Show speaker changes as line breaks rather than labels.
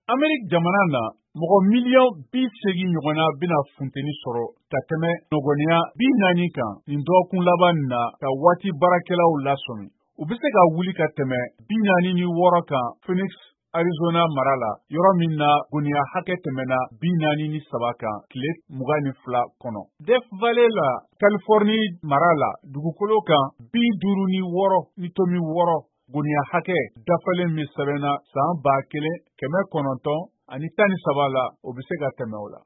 Ameriki jamana na, mɔgɔ miliyɔn 80 ɲɔgɔnna bɛna funteni sɔrɔ ka tɛmɛ nɔgɔniya 40 kan nin dɔgɔkun laban nin na, ka waati baarakɛlaw lasɔmi. U bɛ se ka wuli ka tɛmɛ 46 kan Phoenix, Arizona mara la, yɔrɔ min na goniya hakɛ tɛmɛna 43 kan tile 22 kɔnɔ. Death Valley la, Californie mara la, dugukolo kan 56 ni tomi 6 goniya hakɛ dafalen min sɛbɛnna san 1913 la, o bɛ se ka tɛmɛ o la.